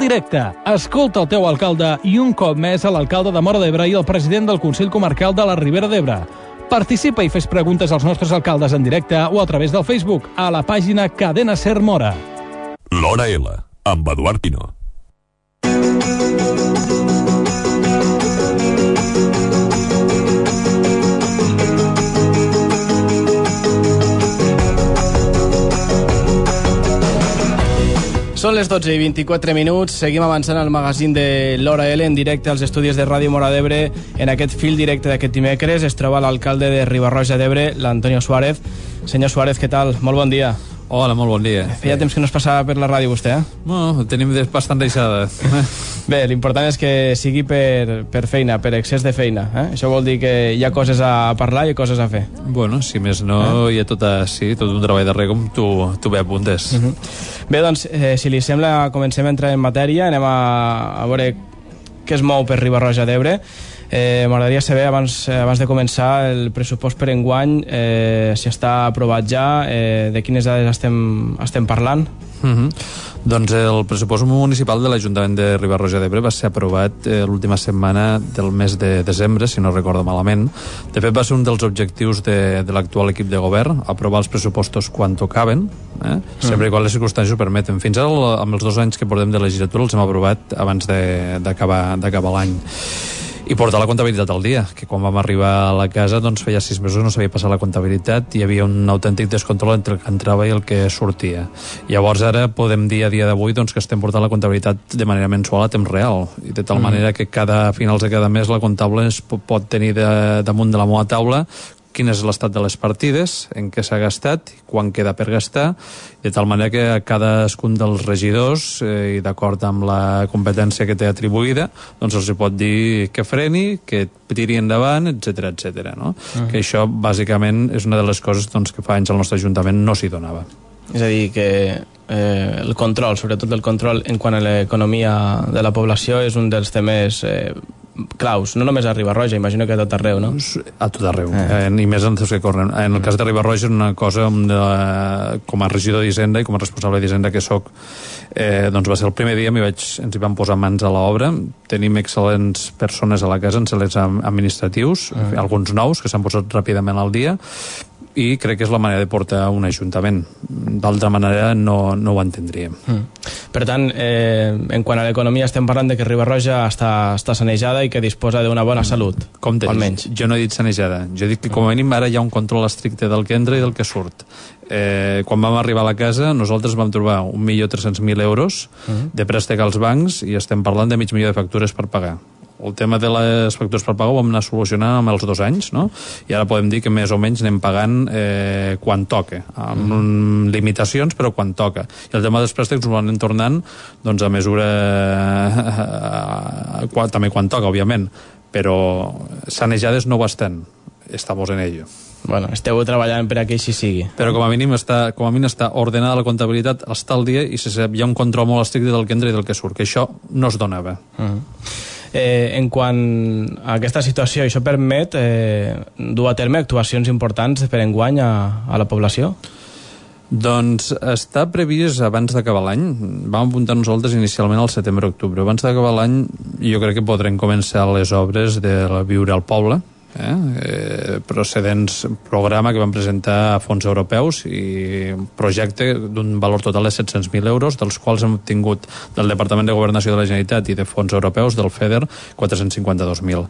directe. Escolta el teu alcalde i un cop més a l'alcalde de Móra d'Ebre i el president del Consell Comarcal de la Ribera d'Ebre. Participa i fes preguntes als nostres alcaldes en directe o a través del Facebook a la pàgina Cadena Ser Móra. L'Hora L, amb Eduard Pino. Són les 12 i 24 minuts, seguim avançant al magazín de l'Hora L en directe als estudis de Ràdio Móra d'Ebre. En aquest fil directe d'aquest dimecres es troba l'alcalde de Riba-roja d'Ebre, l'Antonio Suárez. Senyor Suárez, què tal? Molt bon dia. Hola, molt bon dia. Feia temps que no es passava per la ràdio vostè, eh? No, tenim bastant deixada. Bé, l'important és que sigui per feina, per excés de feina. Això vol dir que hi ha coses a parlar i coses a fer. Bueno, si més no, hi ha tot un treball darrere com tu bé apuntes. Bé, doncs, si li sembla, comencem a entrar en matèria. Anem a veure què es mou per Riba-roja d'Ebre. M'agradaria saber, abans de començar, el pressupost per enguany, si està aprovat ja, de quines dades estem parlant. Doncs el pressupost municipal de l'Ajuntament de Riba-roja d'Ebre va ser aprovat l'última setmana del mes de desembre, si no recordo malament. De fet, va ser un dels objectius de l'actual equip de govern, aprovar els pressupostos quan tocaven, sempre i quan les circumstàncies ho permeten. Fins ara, amb els 2 anys que portem de legislatura, els hem aprovat abans d'acabar l'any. I portar la comptabilitat al dia, que quan vam arribar a la casa doncs feia 6 mesos no sabia passar la comptabilitat i hi havia un autèntic descontrol entre el que entrava i el que sortia. Llavors ara podem dir a dia d'avui doncs, que estem portant la comptabilitat de manera mensual a temps real, i de tal manera que a finals de cada mes la comptable pot tenir damunt de la meva taula quin és l'estat de les partides, en què s'ha gastat, quan queda per gastar, de tal manera que a cadascun dels regidors, i d'acord amb la competència que té atribuïda, doncs els pot dir que freni, que tiri endavant, etc. No? Que això, bàsicament, és una de les coses doncs, que fa anys al nostre Ajuntament no s'hi donava. És a dir, que el control, sobretot el control en quant a l'economia de la població, és un dels temes claus, no només a Riba-roja, imagino que a tot arreu, no? A tot arreu, i més en els que corren. En el cas de Riba-roja és una cosa com a regidor d'Hisenda i com a responsable d'Hisenda que soc, doncs va ser el primer dia ens hi vam posar mans a l'obra. Tenim excel·lents persones a la casa, excel·lents administratius, alguns nous que s'han posat ràpidament al dia, i crec que és la manera de portar un ajuntament. D'altra manera no ho entendríem. Per tant, en quant a l'economia estem parlant de que Riba-roja està sanejada i que disposa d'una bona salut, almenys. Jo no he dit sanejada, jo he dit que com a mínim ara hi ha un control estricte del que entra i del que surt. Quan vam arribar a la casa nosaltres vam trobar 1.300.000 euros de préstec als bancs i estem parlant de 500.000 de factures per pagar. El tema de les factures per pagar ho vam anar solucionant amb els 2 anys, no? I ara podem dir que més o menys anem pagant quan toca, amb limitacions, però quan toca. I el tema dels préstecs ho anem tornant doncs, a mesura també quan toca, òbviament, però sanejades no ho estan. Estamos en ello. Bueno, esteu treballant per a que així sigui. Però com a mínim està ordenada la comptabilitat, està al dia i hi ha un control molt estricte del que entra i del que surt, que això no es donava. En quant a aquesta situació, això permet dur a terme actuacions importants per enguany a la població? Doncs està previst abans d'acabar l'any. Vam apuntar nosaltres inicialment al setembre-octubre. Abans d'acabar l'any jo crec que podrem començar les obres de Viure al Poble, procedents programa que vam presentar a fons europeus i projecte d'un valor total de 700.000 euros, dels quals hem obtingut del Departament de Governació de la Generalitat i de fons europeus del FEDER 452.000.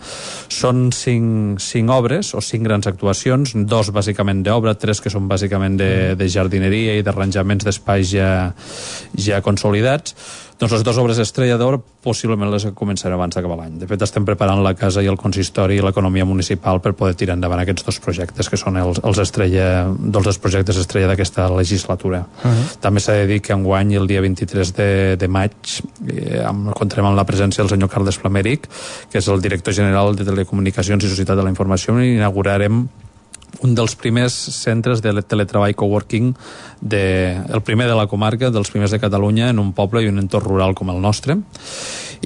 Són 5 obres o 5 grans actuacions, 2 bàsicament d'obra, 3 que són bàsicament de jardineria i d'arranjaments d'espais ja consolidats. Doncs les 2 obres estrella d'or possiblement les començarem abans d'acabar l'any. De fet, estem preparant la casa i el consistori i l'economia municipal per poder tirar endavant aquests 2 projectes que són els projectes estrella d'aquesta legislatura. També s'ha de dir que enguany, el dia 23 de maig, comptarem amb la presència del senyor Carles Flameric, que és el director general de Telecomunicacions i Societat de la Informació, i inaugurarem un dels primers centres de teletreball coworking, el primer de la comarca, dels primers de Catalunya, en un poble i un entorn rural com el nostre.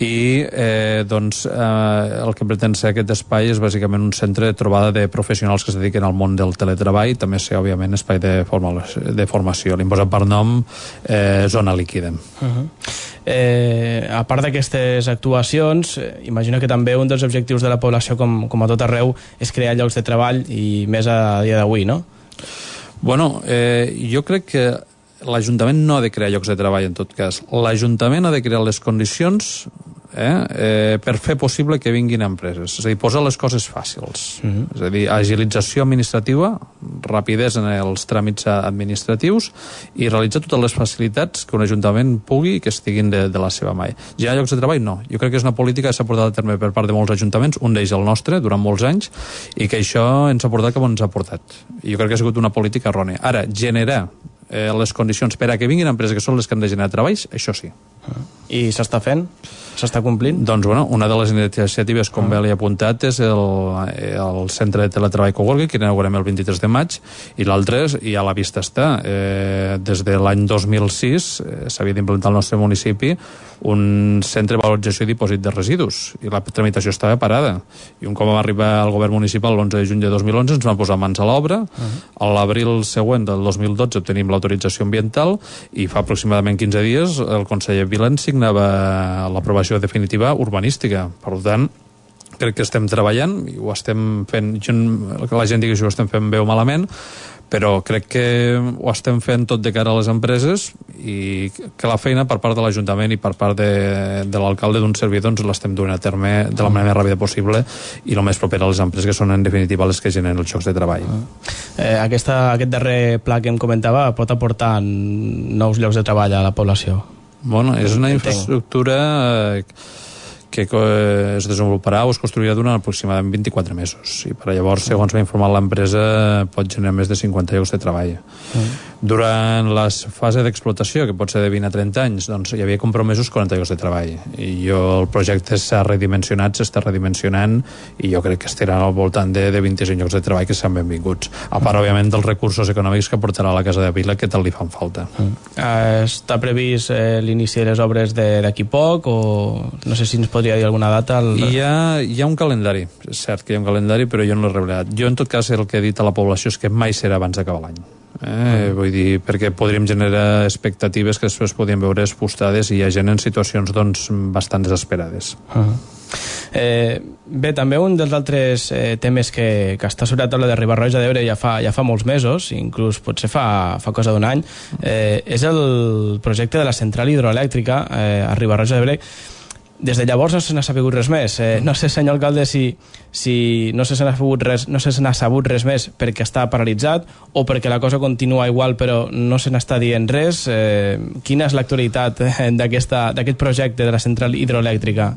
i el que pretén ser aquest espai és bàsicament un centre de trobada de professionals que es dediquen al món del teletreball, també ser òbviament espai de formació. Li hem posat per nom Zona Líquida. A part d'aquestes actuacions, imagino que també un dels objectius de la població, com a tot arreu, és crear llocs de treball, i més a dia d'avui, no? Bueno, jo crec que l'Ajuntament no ha de crear llocs de treball, en tot cas. L'Ajuntament ha de crear les condicions per fer possible que vinguin empreses. És a dir, posar les coses fàcils. És a dir, agilització administrativa, rapidesa en els tràmits administratius i realitzar totes les facilitats que un ajuntament pugui i que estiguin de la seva mà. Hi ha llocs de treball? No. Jo crec que és una política que s'ha portat a terme per part de molts ajuntaments, un d'ells el nostre, durant molts anys, i que això ens ha portat com ens ha portat. I jo crec que ha sigut una política errònia. Ara, generar les condicions per a que vinguin empreses que són les que han de generar treballs, això sí. I s'està fent? S'està complint? Doncs, bueno, una de les iniciatives, com bé li he apuntat, és el centre de teletreball Coworking, que inaugurem el 23 de maig, i l'altre, i a la vista està, des de l'any 2006 s'havia d'implantar al nostre municipi un centre de valorització i dipòsit de residus, i la tramitació estava parada. I un cop va arribar al govern municipal l'11 de juny de 2011 ens van posar mans a l'obra. A l'abril següent del 2012 obtenim l'autorització ambiental i fa aproximadament 15 dies el conseller Vilán signava l'aprovació definitiva urbanística. Per tant, crec que estem treballant i ho estem fent, la gent digui si ho estem fent bé o malament, però crec que ho estem fent tot de cara a les empreses i que la feina per part de l'Ajuntament i per part de l'alcalde d'un servidor ens l'estem duent a terme de la manera més ràpida possible i el més proper a les empreses, que són en definitiva les que generen els llocs de treball. Aquest darrer pla que em comentava pot aportar nous llocs de treball a la població? Bueno, és una infraestructura que es desenvoluparà o es construirà durant aproximadament 24 mesos i per llavors, segons m'ha informat l'empresa, pot generar més de 50 llocs de treball. Durant la fase d'explotació, que pot ser de 20 a 30 anys, doncs hi havia compromesos 40 llocs de treball i el projecte s'ha redimensionat, s'està redimensionant i jo crec que estarà al voltant de 25 llocs de treball que seran benvinguts, a part òbviament dels recursos econòmics que aportarà la Casa de Vila, que tal li fan falta. Està previst l'inici de les obres d'aquí poc, o no sé si ens podria dir alguna data? Hi ha un calendari, és cert que hi ha un calendari, però jo no l'he revelat. Jo en tot cas el que he dit a la població és que mai serà abans d'acabar l'any. Vull dir, perquè podríem generar expectatives que després podríem veure expostades i hi ha gent en situacions doncs bastant desesperades. Bé, també un dels altres temes que està sobre la taula de Riba-roja d'Ebre ja fa molts mesos, inclús potser fa cosa d'un any, és el projecte de la central hidroelèctrica a Riba-roja d'Ebre. Des de llavors no se n'ha sabut res més. No sé, senyor alcalde, si no se n'ha sabut res més perquè està paralitzat o perquè la cosa continua igual però no se n'està dient res. Quina és l'actualitat d'aquest projecte de la central hidroelèctrica?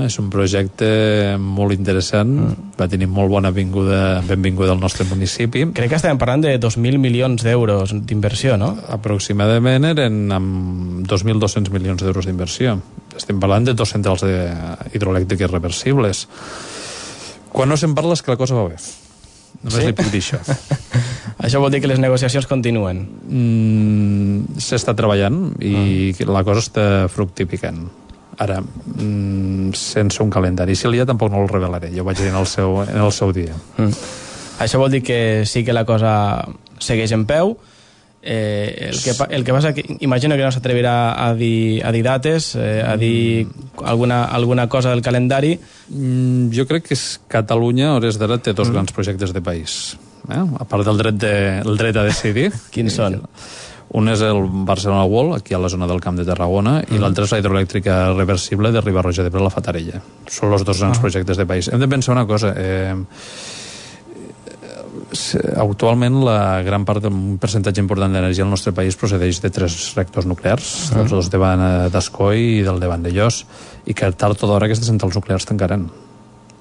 És un projecte molt interessant, va tenir molt bona benvinguda al nostre municipi. Crec que estàvem parlant de 2.000 milions d'euros d'inversió, no? Aproximadament eren amb 2.200 milions d'euros d'inversió. Estem parlant de 2 centrals hidroelèctriques reversibles. Quan no se'n parla és que la cosa va bé. Només li puc dir això. Això vol dir que les negociacions continuen? S'està treballant i la cosa està fructificant. Ara, sense un calendari. Si el dia tampoc no el revelaré, jo ho vaig dir en el seu dia. Això vol dir que sí que la cosa segueix en peu. El que passa que imagino que no s'atrevirà a dir dates, a dir alguna cosa del calendari. Jo crec que Catalunya a hores d'ara té 2 grans projectes de país, a part del dret a decidir. Quins són? Un és el Barcelona World, aquí a la zona del Camp de Tarragona, i l'altre és la hidroelèctrica reversible de Riba-roja d'Ebre, la Fatarella. Són els 2 grans projectes de país. Hem de pensar una cosa, actualment un percentatge important d'energia al nostre país procedeix de 3 reactors nuclears, els 2 davant d'Ascoi i del davant de Llos, i que tard o d'hora aquestes centrals nuclears tancaran.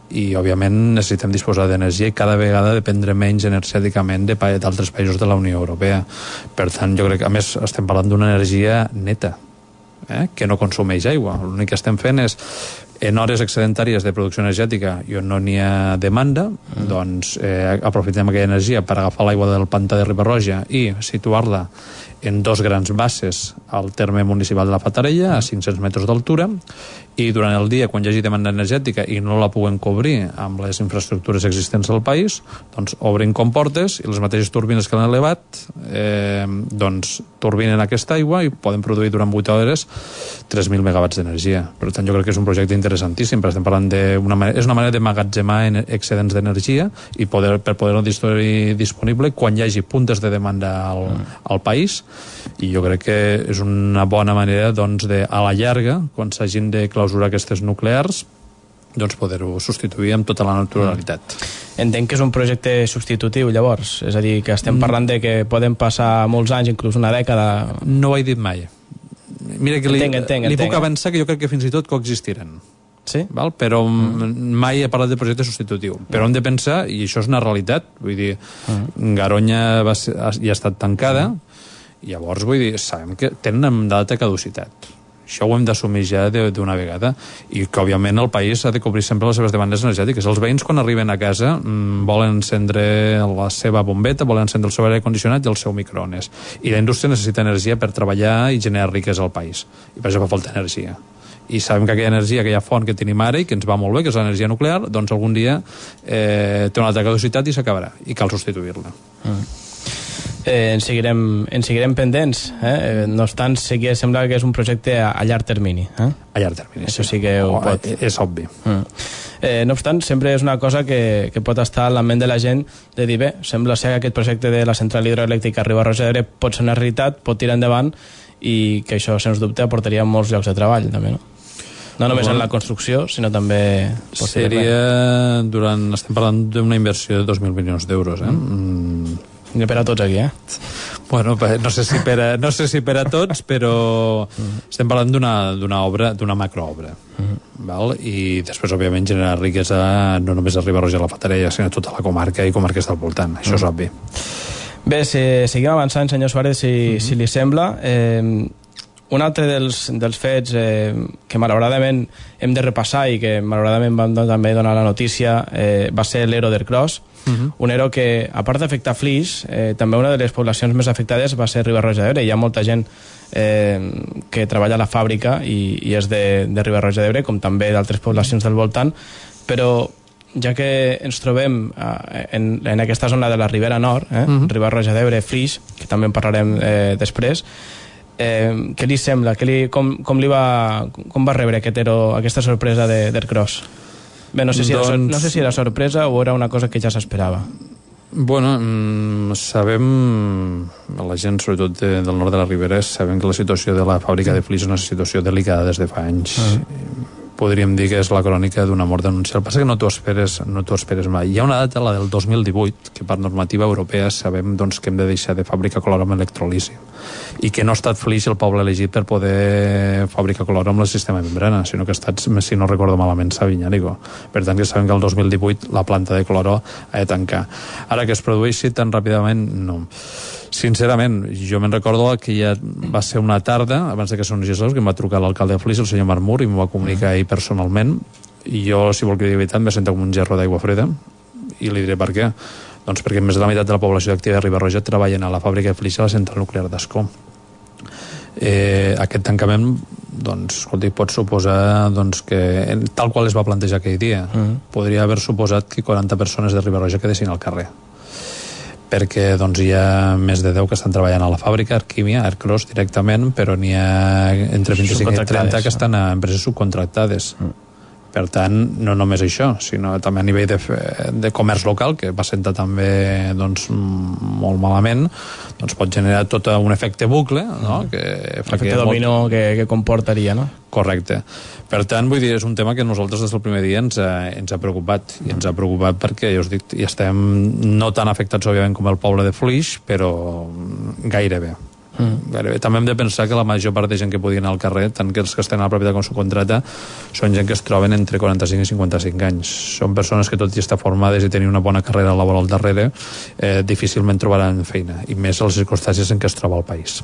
I òbviament necessitem disposar d'energia i cada vegada dependre menys energèticament d'altres països de la Unió Europea. Per tant, jo crec que a més estem parlant d'una energia neta, que no consumeix aigua. L'únic que estem fent és, en hores excedentàries de producció energètica i on no n'hi ha demanda, doncs aprofitem aquella energia per agafar l'aigua del pantà de Riba-roja i situar-la en 2 grans bases al terme municipal de la Fatarella, a 500 metres d'altura, i durant el dia, quan hi hagi demanda energètica i no la puguen cobrir amb les infraestructures existents del país, doncs obrin comportes i les mateixes turbines que l'han elevat doncs turbinen aquesta aigua i poden produir durant 8 hores 3.000 megawatts d'energia. Per tant, jo crec que és un projecte interessantíssim, però estem parlant és una manera de magatzemar excedents d'energia i per poder-ho disponible quan hi hagi puntes de demanda al país, i jo crec que és una bona manera doncs, a la llarga, quan s'hagin de clausurar aquestes nuclears, doncs poder-ho substituir amb tota la naturalitat. Entenc que és un projecte substitutiu, llavors, és a dir, que estem parlant de que poden passar molts anys, inclús una dècada. No ho he dit mai. Mira que li puc avançar que jo crec que fins i tot coexistiran. Sí? Val? Però mai he parlat de projecte substitutiu. Però hem de pensar, i això és una realitat, vull dir, Garoña ja ha estat tancada, i llavors, vull dir, sabem que tenen data de caducitat. Això ho hem d'assumir ja d'una vegada, i que, òbviament, el país ha de cobrir sempre les seves demandes energètiques. Els veïns, quan arriben a casa, volen encendre la seva bombeta, volen encendre el seu aire condicionat i el seu microones. I la indústria necessita energia per treballar i generar riquesa al país. I per això fa falta energia. I sabem que aquella energia, aquella font que tenim ara i que ens va molt bé, que és l'energia nuclear, doncs algun dia té una altra caducitat i s'acabarà, i cal substituir-la. En seguirem pendents, no obstant, sí que sembla que és un projecte a llarg termini. A llarg termini, això sí que ho pot. És obvi. No obstant, sempre és una cosa que pot estar a la ment de la gent de dir, bé, sembla ser que aquest projecte de la central hidroelèctrica Riba-roja d'Ebre pot ser una realitat, pot tirar endavant, i que això, sens dubte, aportaria molts llocs de treball, també, no? No només en la construcció, sinó també... Estem parlant d'una inversió de 2.000 milions d'euros, per a tots aquí, Bueno, no sé si per a tots, però estem parlant d'una obra, d'una macroobra. Val? I després, òbviament, generar riquesa no només a Riba-roja i la Fatarella, sinó a tota la comarca i comarques del voltant. Això és obvi. Bé, seguim avançant, senyor Suárez, si li sembla. Un altre dels fets que malauradament hem de repassar i que malauradament vam també donar la notícia va ser l'ERO d'Ercros, un ERO que, a part d'afectar Flix, també una de les poblacions més afectades va ser Riba-roja d'Ebre. Hi ha molta gent que treballa a la fàbrica i és de Riba-roja d'Ebre, com també d'altres poblacions del voltant, però ja que ens trobem en aquesta zona de la Ribera Nord, Riba-roja d'Ebre, Flix, que també en parlarem després, què li sembla? Com va rebre aquesta sorpresa d'Ercros? Bé, no sé si era sorpresa o era una cosa que ja s'esperava. Bueno, sabem, la gent sobretot del nord de la Ribera, sabem que la situació de la fàbrica de Flix és una situació delicada des de fa anys. Podríem dir que és la crònica d'una mort denunciada. El que passa que no t'ho esperes mai. Hi ha una data, la del 2018, que per normativa europea sabem doncs, que hem de deixar de fabricar clor amb electrolisi, i que no ha estat Flix el poble elegit per poder fabricar clor amb el sistema de membrana, sinó que ha estat, si no recordo malament, Sabinyànigo. Per tant, que sabem que el 2018 la planta de cloró ha de tancar. Ara que es produeixi tan ràpidament, no. Sincerament, jo me'n recordo que ja va ser una tarda, abans que s'onegés que em va trucar l'alcalde de Flix, el senyor Marmur, i m'ho va comunicar ell personalment, i jo, si vol que digui veritat, em va sentar com un gerro d'aigua freda, i li diré per què. Doncs perquè més de la meitat de la població activa de Riba-roja treballen a la fàbrica de Flix a la central nuclear d'Ascó. Aquest tancament, doncs, escolti, pot suposar doncs, que, tal qual es va plantejar aquell dia, podria haver suposat que 40 persones de Riba-roja quedessin al carrer, perquè doncs, hi ha més de 10 que estan treballant a la fàbrica, Arquímia, Ercros directament, però n'hi ha entre 25 i 30 que estan a empreses subcontractades. Per tant, no només això, sinó també a nivell de comerç local, que va sentar també doncs, molt malament, doncs pot generar tot un efecte bucle, no? Efecte dominó que comportaria, no? Correcte. Per tant, vull dir, és un tema que nosaltres des del primer dia ens ha preocupat, i ens ha preocupat perquè, ja us dic, hi estem no tan afectats, òbviament, com el poble de Flix, però gairebé. També hem de pensar que la major part de gent que podien anar al carrer, tant que els que estan a la propietat com subcontrata, són gent que es troben entre 45 i 55 anys. Són persones que, tot i estar formades i tenir una bona carrera laboral darrere, difícilment trobaran feina, i més a les circumstàncies en què es troba el país.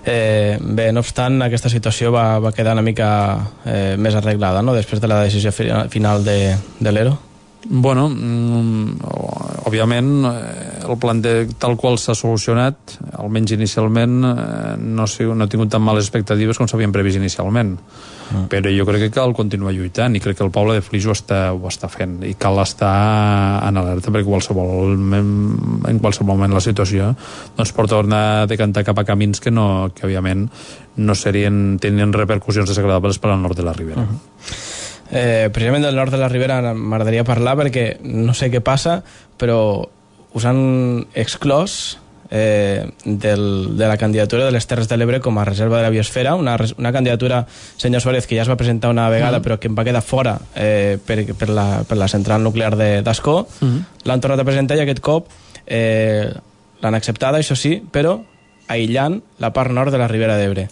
Bé, no obstant, aquesta situació va quedar una mica més arreglada, no?, després de la decisió final de l'ERO. Bueno, òbviament, el plan tal qual s'ha solucionat, almenys inicialment, no ha tingut tan males expectatives com s'havien previst inicialment. Però jo crec que cal continuar lluitant i crec que el poble de Flix ho està fent i cal estar en alerta perquè en qualsevol moment la situació doncs pot tornar a decantar cap a camins que òbviament no tenien repercussions desagradables per al nord de la Ribera. Precisament del nord de la Ribera m'agradaria parlar perquè no sé què passa, però us han exclòs de la candidatura de les Terres de l'Ebre com a reserva de la biosfera, una candidatura, senyor Suárez, que ja es va presentar una vegada però que em va quedar fora per la central nuclear d'Ascó. L'han tornat a presentar i aquest cop l'han acceptada, això sí, però aïllant la part nord de la Ribera d'Ebre.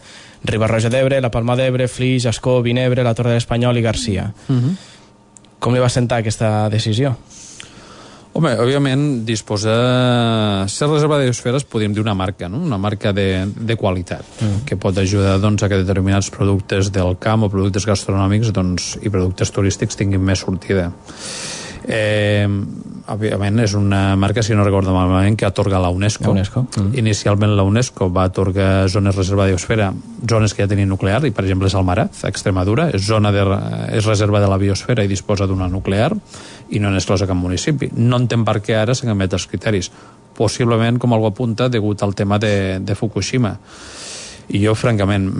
Riba-roja d'Ebre, la Palma d'Ebre, Flix, Ascó, Vinebre, la Torre de l'Espanyol i Garcia. Com li va sentar aquesta decisió? Home, òbviament, ser reserva de biosferes podríem dir una marca, no? Una marca de qualitat, que pot ajudar doncs, a que determinats productes del camp o productes gastronòmics i productes turístics tinguin més sortida. Òbviament és una marca, si no recordo malament, que atorga la UNESCO. Inicialment la UNESCO va atorgar zones reserva de biosfera, zones que ja tenien nuclear, i per exemple Salmaraz, a Extremadura, és reserva de la biosfera i disposa d'una nuclear i no n'és exclosa cap municipi. No entenc per què ara s'han canviat els criteris. Possiblement, com algú apunta, degut al tema de Fukushima. I jo, francament,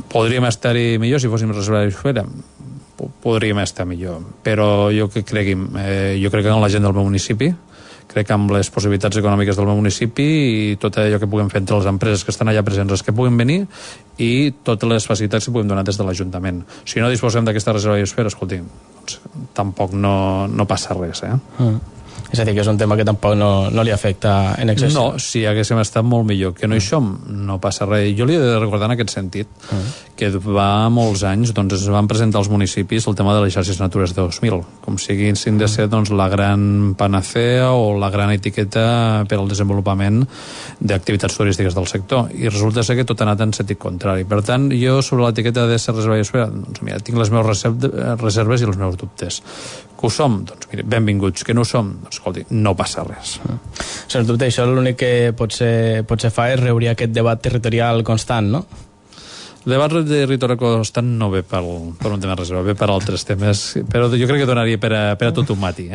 podríem estar-hi millor si fóssim reserva de biosfera. Podríem estar millor, però jo crec que en la gent del meu municipi, crec que amb les possibilitats econòmiques del meu municipi i tot allò que puguem fer entre les empreses que estan allà presents, les que puguin venir, i totes les facilitats que puguem donar des de l'Ajuntament. Si no disposem d'aquesta reserva de biosfera, escolti, doncs, tampoc no passa res, És a dir, que és un tema que tampoc no li afecta en excés. No, si haguéssim estat molt millor. Que no hi som, no passa res. Jo li he de recordar en aquest sentit que va molts anys, doncs es van presentar als municipis el tema de les xarxes Natures 2000, com siguin de ser doncs, la gran panacea o la gran etiqueta per al desenvolupament d'activitats turístiques del sector. I resulta ser que tot ha anat en sentit contrari. Per tant, jo sobre l'etiqueta de ser reserva biosfera, doncs mira, tinc les meves reserves i els meus dubtes. Que ho som? Doncs mira, benvinguts. Que no ho som? Doncs escolti, no passa res. Sens dubte, això l'únic que potser fa és reobrir aquest debat territorial constant, no? El debat territorial constant no ve per un tema reserva, ve per altres temes, però jo crec que donaria per a tot un matí.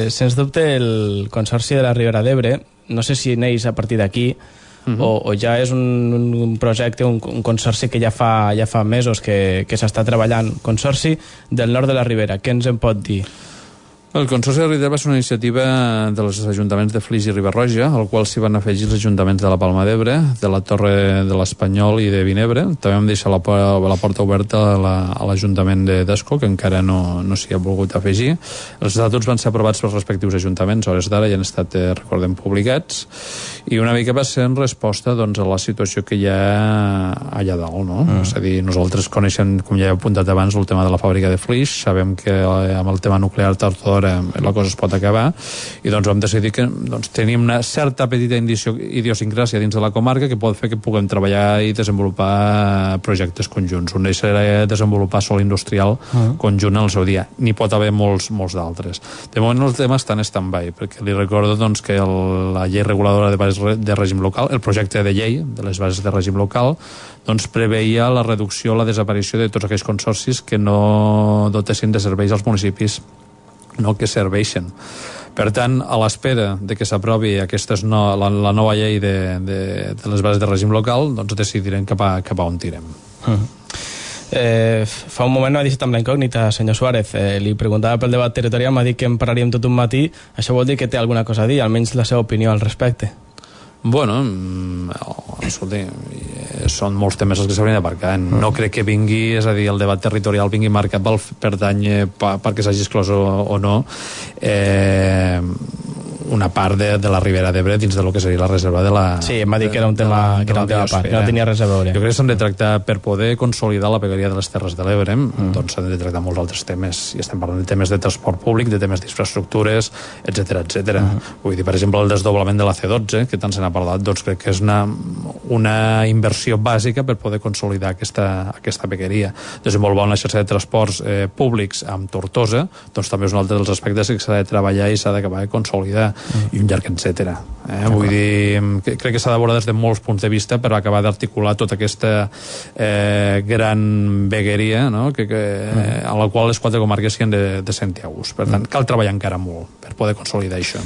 Sens dubte, el Consorci de la Ribera d'Ebre, no sé si neix a partir d'aquí, o ja és un projecte, un consorci que ja fa mesos que s'està treballant. Consorci del nord de la Ribera, què ens en pot dir? El Consorci de la Ribera va ser una iniciativa dels ajuntaments de Flix i Riba-roja, al qual s'hi van afegir els ajuntaments de la Palma d'Ebre, de la Torre de l'Espanyol i de Vinebre. També vam deixar la porta oberta a l'Ajuntament d'Ascó, que encara no s'hi ha volgut afegir. Els estatuts van ser aprovats pels respectius ajuntaments, a hores d'ara ja han estat, recordem, publicats, i una mica va ser en resposta doncs, a la situació que hi ha allà dalt, no? És a dir, nosaltres coneixem, com ja he apuntat abans, el tema de la fàbrica de Flix, sabem que amb el tema nuclear tard o d'hora la cosa es pot acabar, i doncs vam decidir que tenim una certa petita idiosincràsia dins de la comarca que pot fer que puguem treballar i desenvolupar projectes conjunts. Un d'ells serà desenvolupar sol industrial conjunt en el seu dia. N'hi pot haver molts d'altres. De moment el tema està en stand-by, perquè li recordo doncs, que la llei reguladora de bases de règim local, el projecte de llei de les bases de règim local, doncs preveia la reducció, la desaparició de tots aquells consorcis que no dotessin de serveis als municipis que serveixen. Per tant, a l'espera de que s'aprovi la nova llei de les bases de règim local, doncs decidirem cap a on tirem. Fa un moment no ha deixat amb la incògnita, senyor Suárez. Li preguntava pel debat territorial, m'ha dit que en parlaríem tot un matí. Això vol dir que té alguna cosa a dir, almenys la seva opinió al respecte. Bueno, escolti, són molts temes els que s'haurien d'aparcar. No crec que vingui, és a dir, el debat territorial vingui marcat pel pertany perquè s'hagi exclòs o no. una part de la Ribera d'Ebre dins del que seria la reserva de la... Sí, em va dir que era un tema a part, que no tenia res a veure. Jo crec que s'han de tractar, per poder consolidar la vegueria de les Terres de l'Ebre, doncs s'han de tractar molts altres temes, i estem parlant de temes de transport públic, de temes d'infraestructures, etc. Vull dir, per exemple, el desdoblament de la C12, que tant se n'ha parlat, doncs crec que és una inversió bàsica per poder consolidar aquesta vegueria. Desenvolupar una xarxa de transports públics amb Tortosa, doncs també és un altre dels aspectes que s'ha de treballar i s'ha d'acabar de consolidar, i un llarg etcètera. Vull dir, crec que s'ha d'abordar des de molts punts de vista per acabar d'articular tota aquesta gran vegueria, no? a la qual les 4 comarques s'hi han de sentir a gust. Per tant, cal treballar encara molt per poder consolidar això.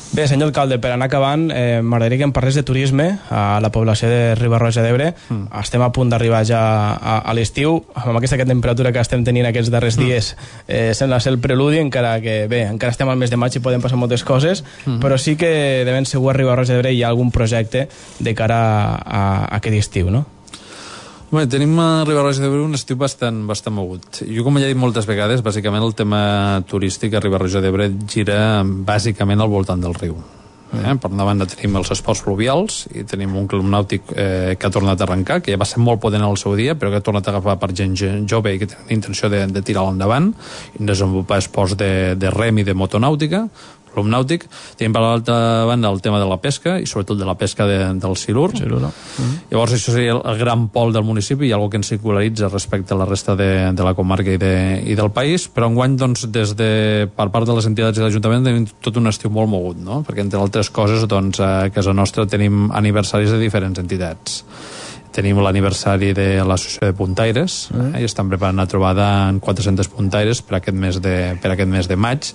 Bé, senyor alcalde, per anar acabant, m'agradaria que em parlés de turisme a la població de Riba-roja d'Ebre. Estem a punt d'arribar ja a l'estiu, amb aquesta temperatura que estem tenint aquests darrers dies, sembla ser el preludi, encara que bé, encara estem al mes de maig i poden passar moltes coses, però sí que de ben segur a Riba-roja d'Ebre hi ha algun projecte de cara a aquest estiu, no? Bé, tenim a Riba-roja d'Ebre un estiu bastant mogut. Jo, com ja he dit moltes vegades, bàsicament el tema turístic a Riba-roja d'Ebre gira bàsicament al voltant del riu. Per una banda tenim els esports fluvials i tenim un club nàutic que ha tornat a arrencar, que ja va ser molt potent al seu dia, però que ha tornat a agafar per gent jove i que té la intenció de tirar-lo endavant i desenvolupar esports de rem i de motonàutica, club nàutic. Tenim per l'altra banda el tema de la pesca i sobretot de la pesca del silur. Llavors això seria el gran pol del municipi i algo que ens singularitza respecte a la resta de la comarca i del país, però enguany doncs, per part de les entitats i l'Ajuntament tenim tot un estiu molt mogut, no? Perquè entre altres coses doncs, a casa nostra tenim aniversaris de diferents entitats. Tenim l'aniversari de l'Associació de Puntaires i estan preparant una trobada en 400 puntaires per aquest mes de maig.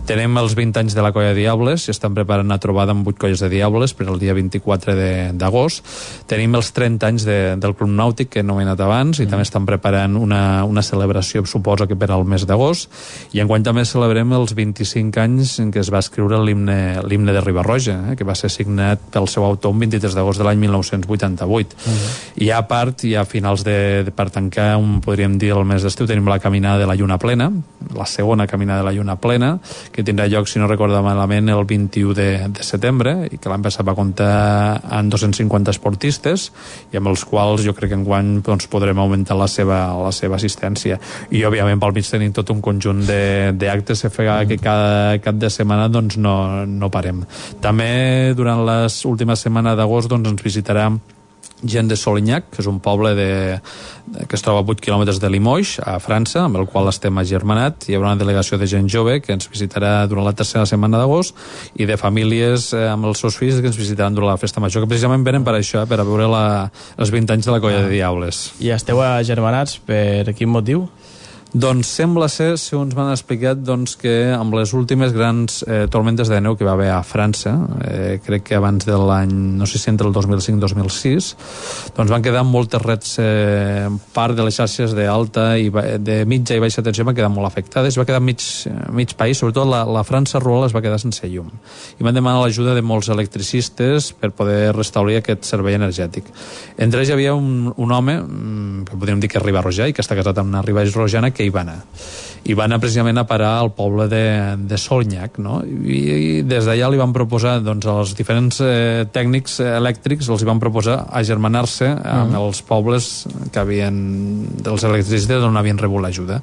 Tenim els 20 anys de la Colla de Diables i estan preparant una trobada amb 8 colles de Diables per el dia 24 d'agost. Tenim els 30 anys del Club Nàutic que he anomenat abans i també estan preparant una celebració, suposo que per al mes d'agost, i enguany també celebrem els 25 anys en què es va escriure l'himne de Riba-roja, que va ser signat pel seu autor el 23 d'agost de l'any 1988. I a part, i a finals per tancar, podríem dir el mes d'estiu, tenim la caminada de la Lluna Plena, la segona caminada de la Lluna Plena, que tindrà lloc, si no recordo malament, el 21 de setembre, i que l'any passat va comptar amb 250 esportistes, i amb els quals jo crec que enguany doncs, podrem augmentar la seva assistència. I, òbviament, pel mig tenim tot un conjunt d'actes que cada cap de setmana doncs, no parem. També, durant les últimes setmanes d'agost, doncs, ens visitarà gent de Solignac, que és un poble que es troba a 8 quilòmetres de Limoges, a França, amb el qual estem agermanat. Hi haurà una delegació de gent jove que ens visitarà durant la tercera setmana d'agost i de famílies amb els seus fills que ens visitaran durant la festa major, que precisament venen per això, per a veure els 20 anys de la Colla de Diables. I esteu agermanats per quin motiu? Doncs sembla ser, segons m'han explicat, doncs, que amb les últimes grans tormentes de neu que va haver a França, crec que abans de l'any, no sé si entre el 2005-2006, doncs van quedar moltes rets, part de les xarxes d'alta i de mitja i baixa tensió van quedar molt afectades, va quedar mig país, sobretot la França rural es va quedar sense llum. I van demanar l'ajuda de molts electricistes per poder restablir aquest servei energètic. Entre ells hi havia un home, que podríem dir que és riba-rojà i que està casat amb una riba-rojana, que hi va anar. I va anar precisament a parar al poble de Solignac, no? I des d'allà li van proposar, doncs, als diferents tècnics elèctrics els van proposar agermanar-se amb els pobles que dels electricistes on havien rebut l'ajuda.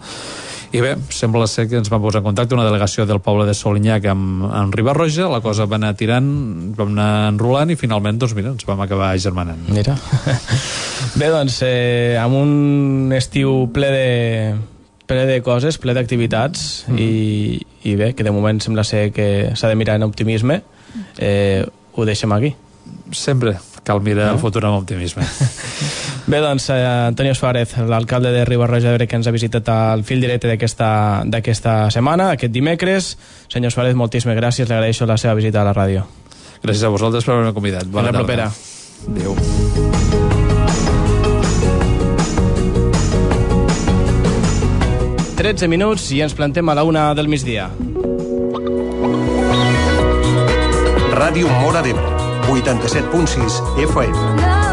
I bé, sembla ser que ens va posar en contacte una delegació del poble de Solignac amb Riba-roja, la cosa va anar tirant, vam anar enrolant i finalment, doncs mira, ens vam acabar agermanant. Mira. Bé, doncs, amb un estiu ple de coses, ple d'activitats i bé, que de moment sembla ser que s'ha de mirar en optimisme, ho deixem aquí. Sempre cal mirar el futur amb optimisme. Bé, doncs, Antonio Suárez, l'alcalde de Riba-roja d'Ebre, que ens ha visitat al fil directe d'aquesta setmana, aquest dimecres. Senyor Suárez, moltíssimes gràcies, li agraeixo la seva visita a la ràdio. Gràcies a vosaltres per haver-me convidat. Bona tarda. Propera. Adéu. 13 minuts i ens plantem a la 1 del migdia. Ràdio Móra d'Ebre, 87.6 FM.